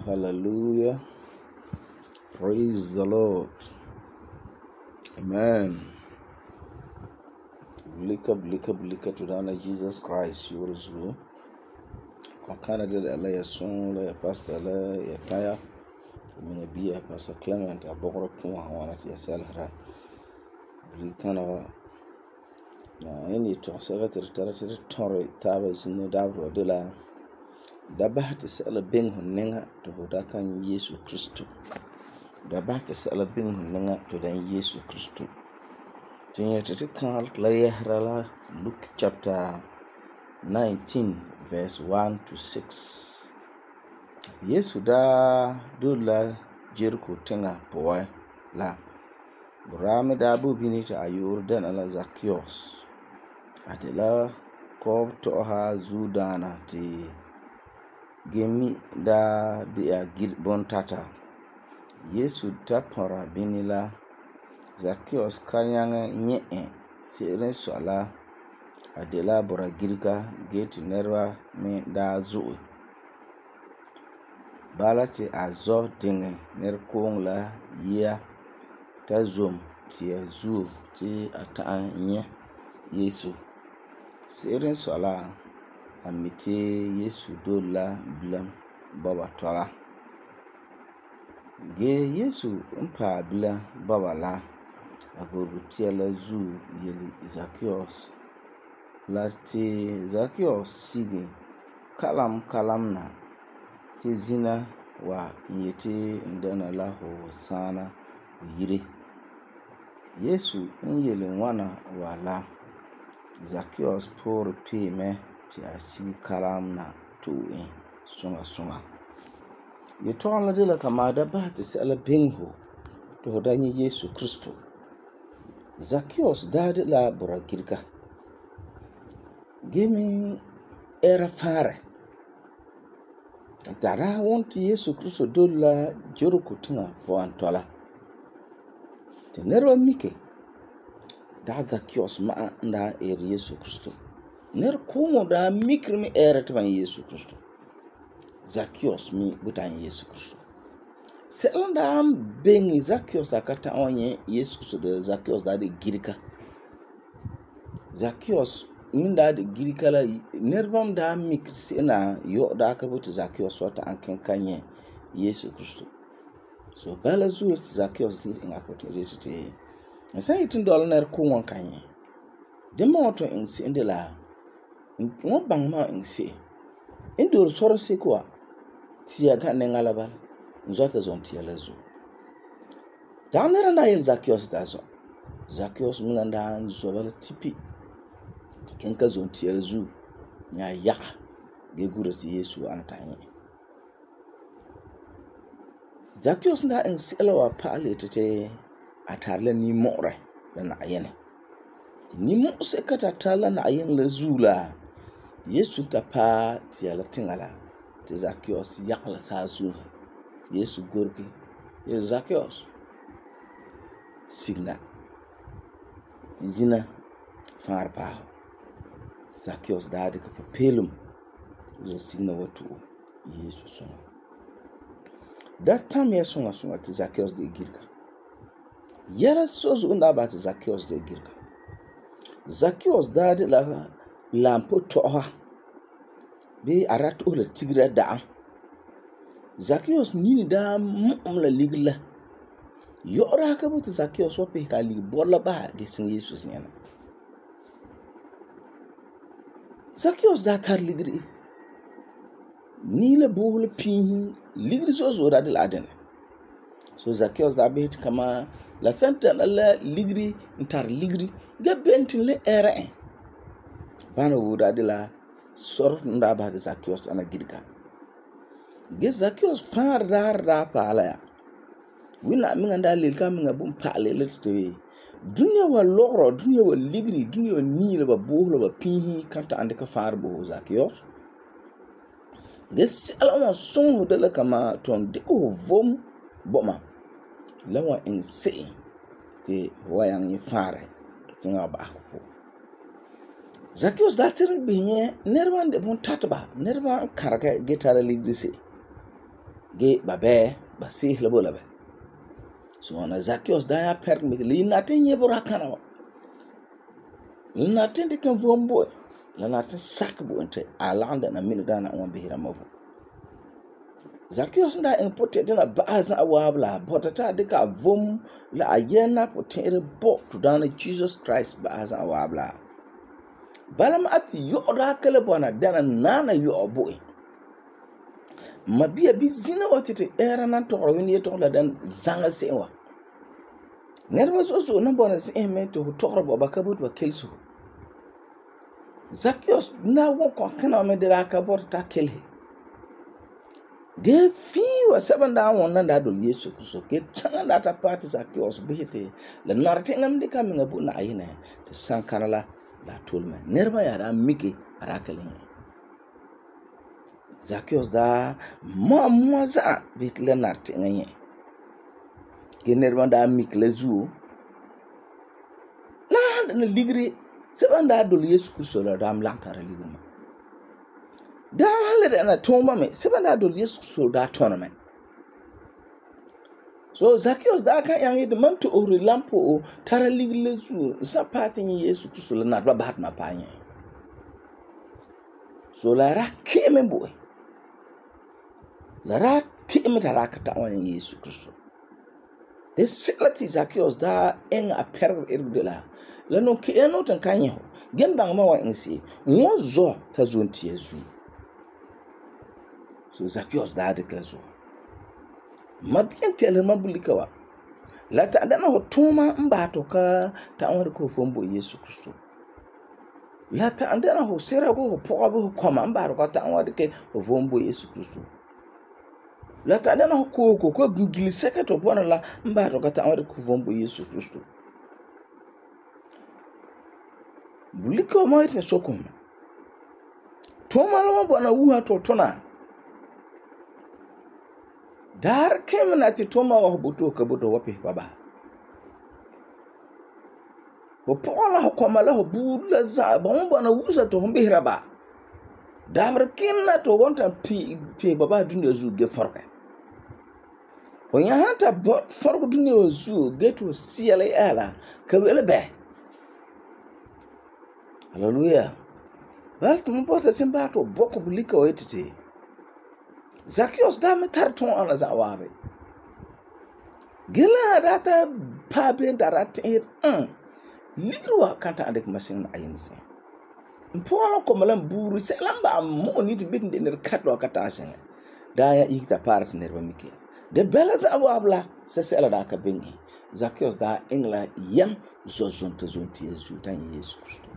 Hallelujah. Praise the Lord. Amen. Blika to Dana Jesus Christ. You will do. Kakana de la ya son la pastor la ya kaya. Mina biya Pastor Clement abogro kuma wana ti selhra. Blikana na any to secretary territory torre taba sinu dabro de la da bahati sala ben hunninga to hoda kan Yesu Kristo. Da bahati sala ben hunninga to dan Yesu Kristo. Tinya tete kan la yahrala Luke chapter 19 verse 1 to 6. Yesu da dola Jericho tenga poa la burame da bu binita ayur dan ala Zacchaeus adela ko to ha zudana ti gemi da dia girbon tata. Yesu tapora binila Zacchaeus kanyanga nye seren sola adela bora girka gate nerwa me da zuwe balati azo dinge ner kong la yia ta zum tia zu ti ata nye Yesu seren sola amite Yesu dola blam baba tola ge Yesu mpa bla baba la agogo tia la zu yeli Zacchaeus la ti Zacchaeus sigi kalam na ti zina wa yeti ndana la ho sana yire. Yesu yeli wana wala Zacchaeus por pe me ti asigi kalam na to sunga ye ton la de la kamada ba ti sala benho to danyi Yesu Kristo. Zacchaeus dade la bora girka gemi era fare dara wonti Yesu Kristo dola Jericho tinga po antola te nerwa mike da Zacchaeus ma nda Yesu Kristo ner komo da mikri mi era tvan Yesu Kristo Zacchaeus mi butan Yesu Kristo selanda bengi Zacchaeus akata onye Yesu Kristo de Zacchaeus da de girka Zacchaeus min da girka la nerbam da mikri sena yo da ka butu Zacchaeus wata anken kanye Yesu Kristo so bala zuwa Zacchaeus dir in akote retete sai itin dol ner ko won kanye de moto in si indela won bang ma in si indor soro se kwa tia ga ne ngalaba nzota zon tia la zu da nera na yel Zacchaeus da zo Zacchaeus min da zo bala tipi kenka zon tia la zu nya ya ge gurati Yesu antanye Zacchaeus da in selawa pale tete atarla ni more na ayene ni mo se kata tala na ayen la zula Yesu ta pa tia la tingala te Zacchaeus yakla sa su Yesu gorki ye Zacchaeus signa zina far pa Zacchaeus da de ka pelum zo signa watu Yesu so that time Yesu sunga te Zacchaeus de girka yara sozu unda ba te Zacchaeus de girka Zacchaeus da de la lampo toha be arato la tigra da Zacchaeus nini da la ligla yora ka but Zacchaeus wa pe ka li bola ba de sin Yesu sin Zacchaeus da tar ligri ni le bohul pin ligri zo da de la den so Zacchaeus da be kama la santa la ligri ntar ligri ga bentin le era bana wuda de la sor nda ba Zacchaeus ana girka ge Zacchaeus far da pala ya wina minga nda le ka minga bum pale le te dunya wa loro dunya wa ligri dunya wa ni le ba bohlo ba pinhi kanta ande ka far bo Zacchaeus ge sala son de la kama ton de ko vom boma lawa in se ti wayang yi fare tinga ba ko Zacchaeus da tir binye nerwan de bon tatba nerwa karaka getara ligri se ge ba seeh la bo la bɛ. So wana Zacchaeus daa ya pɛrɛ me li natin yebra kana wa. Li natin de kan vom bo. La natin sak bo inte a lagam dana mini dana wan behira ma vo. Zacchaeus da en pote dina ba'a za waab la bota ta de ka vom la a yena potere bo to dana Jesus Christ ba'a za waab la. Balam ati yo da kele bona dana nana yo bo. Mabia bi zina watete era nan to rawin ye to la dan zanga sewa. Nerva so nan bona se me to to ro ba ka but ba kelso. Zacchaeus na won ko kana me de la ka bot ta kelhe. De fi wa seven da won nan da dol Yesu Kristo ke changa da ta party Zacchaeus bihete la narte ngam de kam ngabu na ayine te sankana la tolme. Nerva ya da miki ara kelhe. Zacchaeus da mo za bit le narte nganye. Generman da mikle zu la na ligri seban da dol Yesu Kristo la dam lantara ligri ma da hale na tomba me seban da dol Yesu Kristo da tona me. So Zacchaeus da kan yangi de man to ori lampo o tara ligri le zu sa pati ni Yesu Kristo la na ba bat ma pa nye. So la ra keme boy la ra keme tara ka ta wan Yesu Kristo. The silati Zacchaeus da en a perg de la no ke eno tan kanye ho gen bang ma wa ensi won zo ta zo ntie zu. So Zacchaeus da de klazo ma bien kele ma bulika wa la ta da na ho tuma mba to ka ta an ko fombo Yesu Kristo la ta anda na ho sera go ho po ho koma mba ro ka ta an ke ho fombo Yesu Kristo la ta dana ko gungili sekato bona la mba to kata awade ku vombo Yesu Kristo buliko mo ite sokum to malo bona wuha to tona dar kemna ti toma wa buto ka buto wape baba bo pola ho komala ho bula za bon bona wusa to mbihra ba dar kinna to wonta pi baba dunya zu ge forka. When you hunt a bot for good news, get to CLA ka wele be. Hallelujah. Well, to mbota simba to boko bulika wetete. Zacchaeus da me tarton ana za wabe. Gela data pabe darate lidruwa kanta andek masin ayinse. Mpono komalam buru selamba mo ni to bit ner katwa kata asen. Da ya ikta part nerba miki. De bela za wabla se sela da ka bengi. Zacchaeus da engla yam zozonte zonti Yesu tan Yesu Kristo.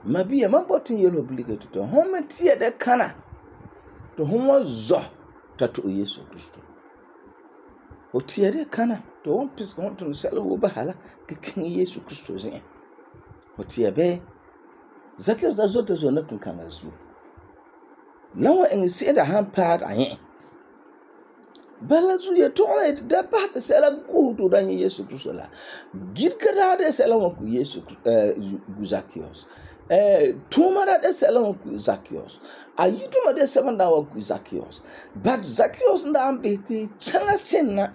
Mabia mambotin yelo obligate to home tie de kana to homo zo tatu Yesu Kristo. O tie de kana to won pis ko to sela wo bahala ke kin Yesu Kristo zin. O tie be Zacchaeus da zo te zo na kan azu. Lawa en se da han part ayen. Bala zu ye tola da bat sela go to dan Yesu Kristo la. Gid kada de sela mo ku Yesu Zacchaeus. Tumara de sela mo ku Zacchaeus. Ayiduma de seven dawa ku Zacchaeus. But Zacchaeus nda ambeti changa senna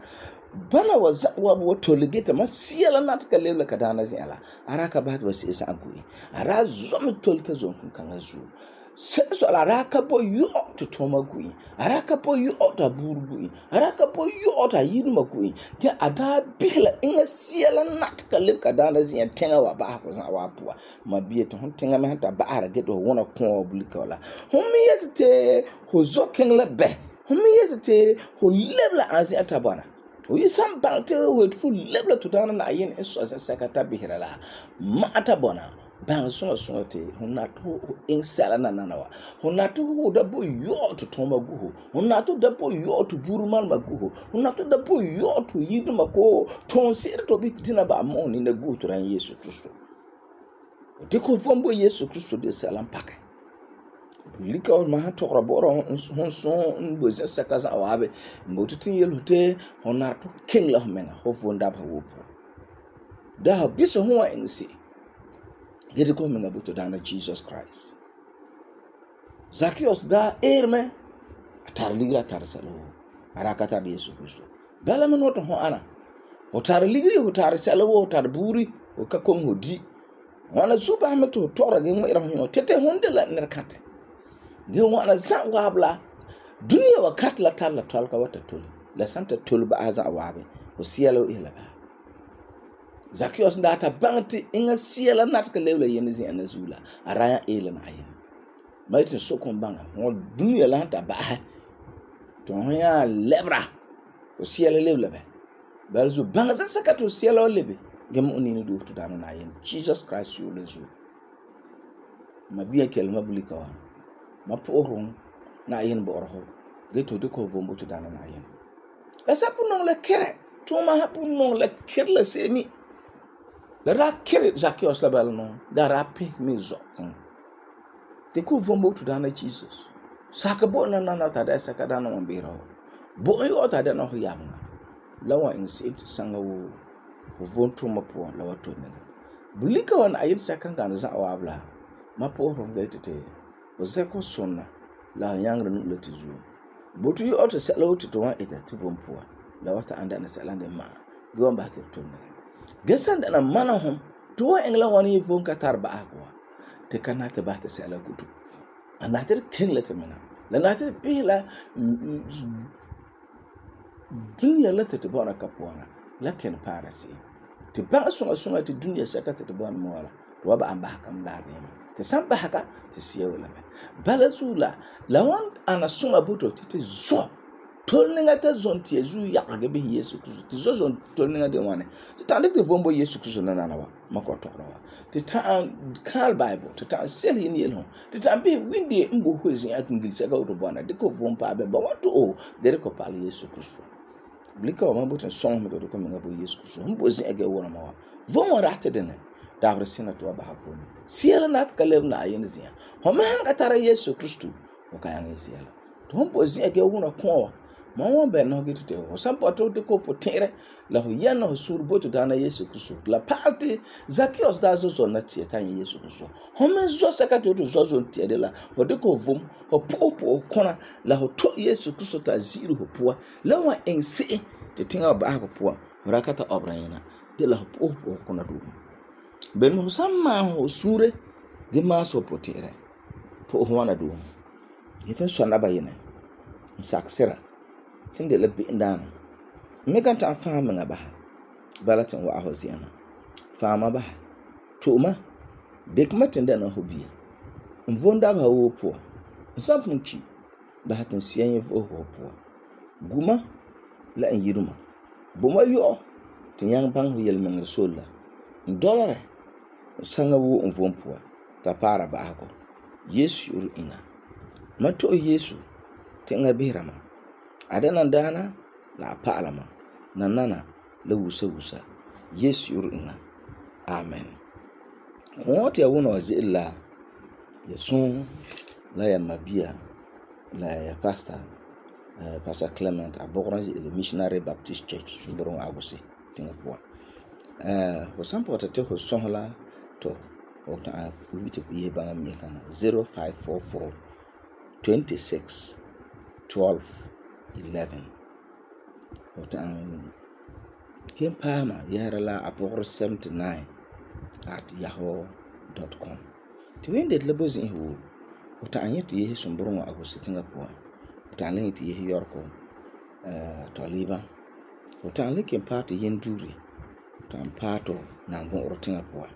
bana wa toligeta ma siela nat ka lele kadana zela. Araka bat wa sisa agui. Ara zomi tolita zon kan azu. So araka po yo to toma gui araka po yo to burgui araka po yo to yiduma gui ke ada bihla inga siela nat ka lip ka dana zin tenga wa ba ko sa wa puwa ma biye to tenga me hanta ba ara get wona ko bulika wala homi yete ho zoken la be homi yete ho lebla anzi atabana o yisam balte ho to lebla to dana na yin eso sekata bihla la ma atabona ban so te honato in sala nanawa honato da bo yo to toma guho honato da bo yo to burumal maguho honato da bo yo to yiduma ko ton sir to bitina ba mo ni na guto ran Yesu Kristo de ko fombo Yesu Kristo de salam pake lika o ma to roboro hon so mboze sakaza wabe mbotutin yelote honato king la mena ho fonda ba wopo da biso ho ensi get it coming about to dana Jesus Christ. Zacchaeus da erme a tar ligri a tar sɛla woo a ra ka tar Yesu Kristo bala me no to ho ana ho tar ligri ho tar sɛla woo ho tar buuri ho ka kom ho di wana zuba me to tora ge ŋmɛ'ɛra ho yo tete hon de la nerkate ge wana zan wabla dunia wa kat la tar la tolka wata tole la santa tole ba azan wabe ho siela ila ba Zacchaeus da ta bangti inga siela natka lewla yen zin ana zula araya ela na ayin maitin sokon banga ho dunia la ta ba to ho ya lebra ho siela lewla ba balzu banga za sakato siela lebe gem onini do to dana na ayin Jesus Christ you lezu mabiya kelma bulika wa ma porun na ayin borho ge to de ko vombo to dana na ayin la sapu non le kere to ma hapu non le kere la seni la ra kere Zacchaeus la bal non da ra pe mi zokon de ko vombo to dana Jesus saka bo na ta da saka dana on biro bo yo ta dana ho yanga la wa in sent sanga wo vonto ma po la wato ne bulika wan ayin saka kan za wa bla ma po ron ga tete o zeko sonna la yangra nu le tizu botu yo to sala wotu to wa ita to vompo la wata anda na sala de ma gwan ba te to ne gesan da na mana hom to wa engla wani von ka tarba akwa te kanata ba ta sala kutu anatir ken la temena la natir pila dunia la te bona kapwana la ken parasi te ba sunga te dunia saka te bona mola to ba amba kam la ne te samba haka te siya wala bala zula lawan ana sunga buto te zo tolninga ta zon tie zu ya ga be Yesu Kristo te zo zon tolninga de wane te tande te vombo Yesu Kristo na wa makoto wa te ta kal bible te ta sel yin yelo te ta be windi mbo hozi akingil saka uto bona de ko vompa be ba wato o de ko pal Yesu Kristo blika wa mbo te song me do ko me ngabo Yesu Kristo mbo zi age wona ma wa vomo rate de ne dabre sina to ba hafoni siela nat kalev na ayen zia homa hanga tara Yesu Kristo o kayanga siela to mbo zi age wona ko ma won be no gitu te o sampo to te ko potere la ho yana ho sur boto dana Yesu Kristo la party Zacchaeus da zo na tie tan Yesu Kristo homa zo saka to zo tie de la o de ko vom o popo kona la ho to Yesu Kristo ta ziru ho poa la wa ense te tinga ba ko poa rakata obrayina de la ho popo kona do ben mo samma ho sure ge ma so potere po ho wana do yeten so na bayina saksira tinde la bi ndana me kan ta fama ngaba balatin wa ahoziyana fama ba tuma dekmatin da na hobi mvonda ba wo po nsampunchi ba hatin siyan vo ho po guma la en yiruma boma yo tin yang bang ho yel men rasul dollar sanga wo mvompo ta para ba ko Yesu yuru ina mato Yesu tinga birama adana dana la paalama nanana la wusa Yesu yuru ina amen wote ya wona wajilla yesun la ya mabia la ya pastor Clement aborange le missionary baptist church suboron agusi tinga kwa ho sampo ta te ho sonla to o ta wite biye banga mi kana 0544 26 12 11 o ta kem pama yara la apor 79 at yahoo.com to wende le bozin hu o ta anyete ye sumburon agusi tinga kwa o ta len ti ye yorko to liba o ta le kem party yenduri tan pato na ngon rotinga poa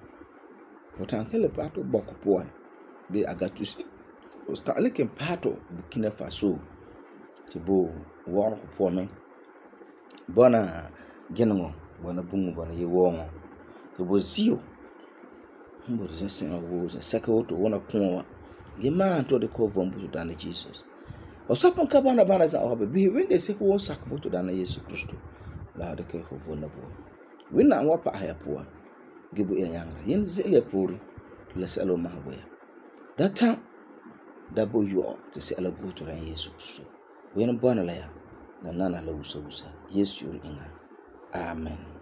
o tan kele pato boko poa be agatus o stale kem pato Burkina Faso tibo wor ko poa men bona gengo bona bungu bona ye wongo ke bo zio mbo zesen wo za saka woto wona konwa ge ma to de ko vombu dana Jesus o sapon ka bana za o be wende se ko sak boto dana Yesu Kristo la de ke ho vona bo wina wa pa haya poa gibu ya yanga yin zele puri la salo mahboya data dabo yo to se ala buto ran Yesu Kristo wina bona la ya na nana la usa Yesu yuri inga amen.